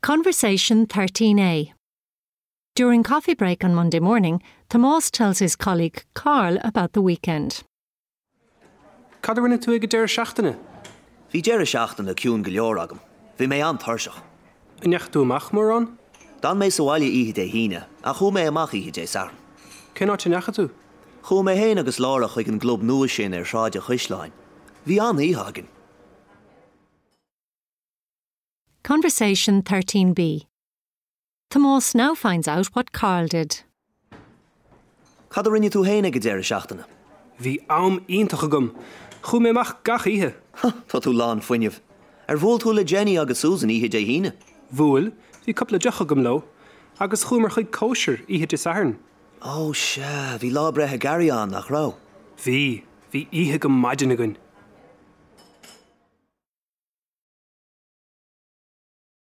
Conversation 13A. During coffee break on Monday morning, Tomás tells his colleague Carl about the weekend. Cad a rinne tú ag an deireadh seachtaine? Bhí deireadh seachtaine ciúin go leor agam. Bhí mé an-tuirseach. An ndeachaigh tú amach mórán? D'fhan mé sa bhaile oíche Dé hAoine, ach chuaigh mé amach oíche Dé Sathairn. Cén áit a ndeachaigh tú? Chuaigh mé féin agus Laura chuig an gclub nua sin ar Shráid an Chaisleáin. Bhí an-oíche againn. Conversation 13B. Tomás now finds out what Carl did. Cad a rinne tú féin ag an deireadh seachtaine? Bhí am iontach agam. Chuaigh mé amach gach oíche. Tá tú lán fuinnimh. Ar bhuail tú le Jenny agus Susan oíche Dé hAoine? Bhuail, bhí cúpla deoch agam leo. Agus chuamar chuig cóisir oíche Dé Sathairn. Ó sea, bhí lá breithe Gary ann, nach raibh? Bhí, bhí oíche go maidin againn.